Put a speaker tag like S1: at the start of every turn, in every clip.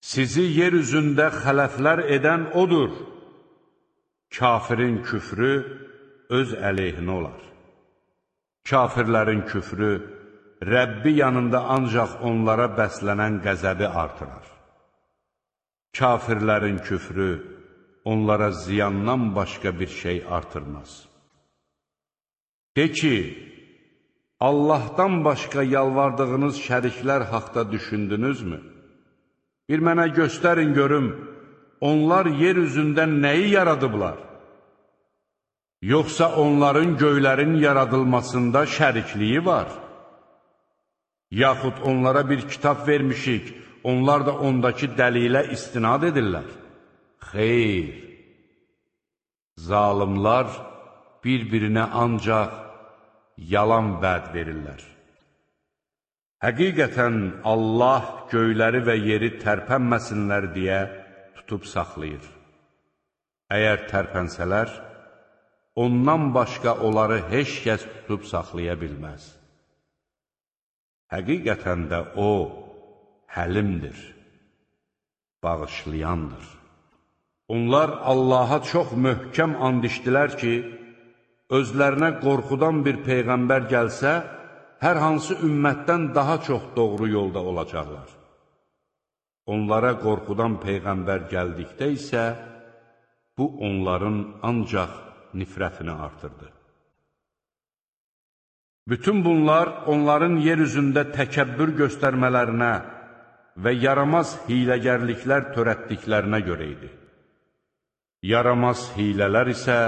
S1: Sizi yer üzündə xələflər edən odur. Kafirin küfrü öz əleyhinə olar. Kafirlərin küfrü Rəbbi yanında ancaq onlara bəslənən qəzəbi artırar. Kafirlərin küfrü onlara ziyandan başqa bir şey artırmaz. De ki, Allahdan başqa yalvardığınız şəriklər haqda düşündünüzmü? Bir mənə göstərin görüm, onlar yer üzündə nəyi yaradıblar? Yoxsa onların göylərin yaradılmasında şərikliyi var? Yaxud onlara bir kitab vermişik, onlar da ondakı dəlilə istinad edirlər. Xeyr! Zalimlar bir-birinə ancaq yalan vəd verirlər. Həqiqətən Allah göyləri və yeri tərpənməsinlər deyə tutub saxlayır. Əgər tərpənsələr, ondan başqa onları heç kəs tutub saxlaya bilməz. Həqiqətən də O, həlimdir, bağışlayandır. Onlar Allaha çox möhkəm and içdilər ki, özlərinə qorxudan bir peyğəmbər gəlsə, hər hansı ümmətdən daha çox doğru yolda olacaqlar. Onlara qorxudan peyğəmbər gəldikdə isə, bu onların ancaq nifrətini artırdı. Bütün bunlar onların yer üzündə təkəbbür göstərmələrinə və yaramaz hiləgərliklər törətdiklərinə görə idi. Yaramaz hilələr isə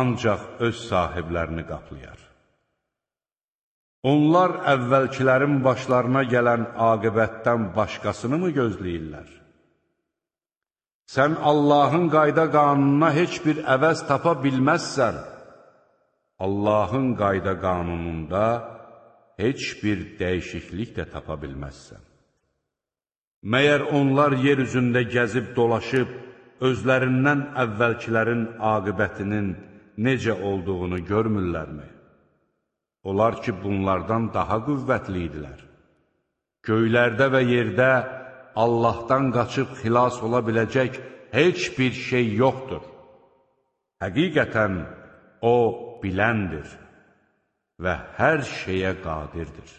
S1: ancaq öz sahiblərini qaplayar. Onlar əvvəlkilərin başlarına gələn aqibətdən başqasını mı gözləyirlər? Sən Allahın qayda qanununa heç bir əvəz tapa bilməzsən. Allahın qayda qanununda heç bir dəyişiklik də tapa bilməzsən. Məyər onlar yer üzündə gəzib dolaşıb, özlərindən əvvəlkilərin aqibətinin necə olduğunu görmürlərmi? Onlar ki, bunlardan daha qüvvətli idilər. Göylərdə və yerdə Allahdan qaçıb xilas ola biləcək heç bir şey yoxdur. Həqiqətən O biləndir və hər şeyə qadirdir.